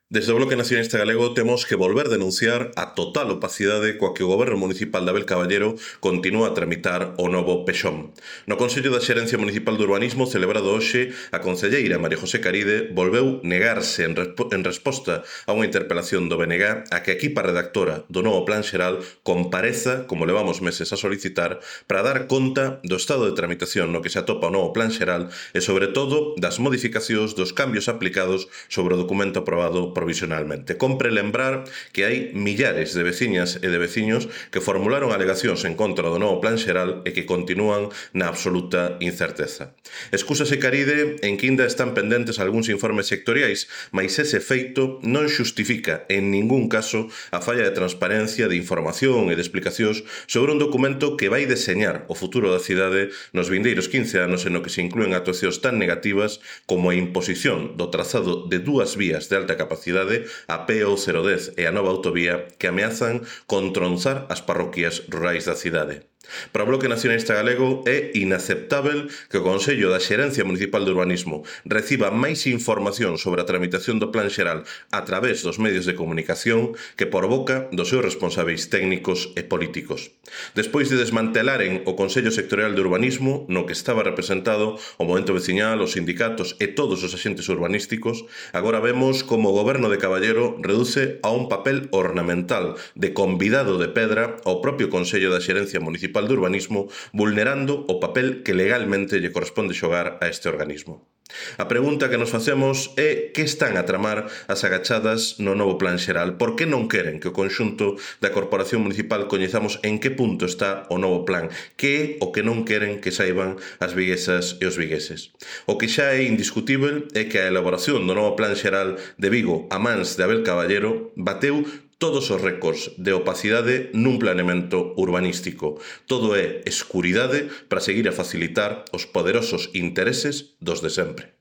Desde o Bloque Nacionalista Galego temos que volver denunciar a total opacidade coa que o Goberno Municipal de Abel Caballero continúa a tramitar o novo Pexón. No Consello da Xerencia Municipal de Urbanismo celebrado hoxe, a concelleira María José Caride volveu negarse en resposta a unha interpelación do BNG a que a equipa redactora do novo Plan Xeral compareza, como levamos meses a solicitar, para dar conta do estado de tramitación no que se atopa o novo Plan Xeral e, sobre todo, das modificacións dos cambios aplicados sobre o documento aprobado provisionalmente. Compre lembrar que hai millares de veciñas e de veciños que formularon alegacións en contra do novo Plan Xeral e que continúan na absoluta incerteza. Excúsase Caride en que ainda están pendentes algúns informes sectoriais, mais ese feito non xustifica en ningún caso a falla de transparencia, de información e de explicacións sobre un documento que vai deseñar o futuro da cidade nos vindeiros 15 anos e no que se inclúen actuacións tan negativas como a imposición do trazado de dúas vías de alta capacidade, a PO 010 e a nova autovía que ameazan con tronzar as parroquias rurais da cidade. Para o Bloque Nacionalista Galego é inaceptável que o Consello da Xerencia Municipal de Urbanismo reciba máis información sobre a tramitación do Plan Xeral a través dos medios de comunicación que por boca dos seus responsáveis técnicos e políticos. Despois de desmantelaren o Consello Sectorial de Urbanismo, no que estaba representado o movemento veciñal, os sindicatos e todos os axentes urbanísticos, agora vemos como o Goberno de Caballero reduce a un papel ornamental de convidado de pedra ao propio Consello da Xerencia Municipal de Urbanismo, vulnerando o papel que legalmente lle corresponde xogar a este organismo. A pregunta que nos facemos é que están a tramar as agachadas no novo Plan Xeral? Por que non queren que o conxunto da Corporación Municipal coñezamos en que punto está o novo plan? Que é o que non queren que saiban as viguesas e os vigueses? O que xa é indiscutível é que a elaboración do novo Plan Xeral de Vigo a mans de Abel Caballero bateu todos os récords de opacidade nun planeamento urbanístico. Todo é escuridade para seguir a facilitar os poderosos intereses dos de sempre.